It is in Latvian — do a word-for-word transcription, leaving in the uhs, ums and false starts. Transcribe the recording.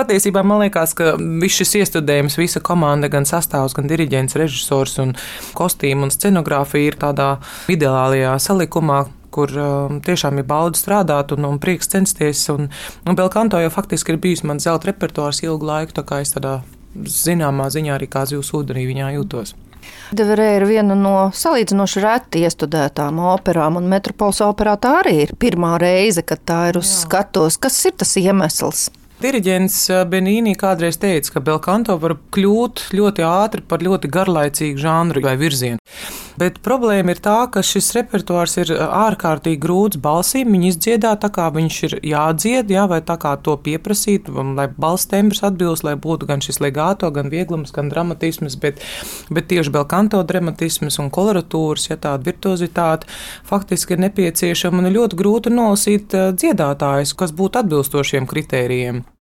patiesībā man liekas, ka viss šis iestudējums, visa komanda, gan sastāvs, gan diriģents, režisors un kostīmu un scenogrāfija ir tādā ideālajā salikumā, kur um, tiešām ir bauda strādāt un, un prieks censties. Un, un Belkanto jau faktiski ir bijis mans zelta repertuārs ilgu laiku, tā kā es tādā zināmā ziņā arī kā zivs ūdenī viņā jūtos. Deverē ir viena no salīdzinoši reti iestudētām operām, un Metropoles operā tā arī ir pirmā reize, kad tā ir uz Jā. Skatos. Kas ir tas iemesls? Diriģents Benīni kādreiz teica, ka Belkanto var kļūt ļoti ātri par ļoti garlaicīgu žanru vai virzienu. Bet problēma ir tā, ka šis repertuārs ir ārkārtīgi grūts balsīm. Viņi izdziedā tā, kā viņš ir jādzied, jā, vai tā kā to pieprasīt, lai balss tembrs atbilst, lai būtu gan šis legāto, gan vieglums, gan dramatisms, bet, bet tieši Belkanto dramatisms un koloratūras, ja tāda virtuozitāte faktiski ir nepieciešama un ir ļoti grūti nolasīt dziedātājus, kas būtu atbilstošiem kritērijiem.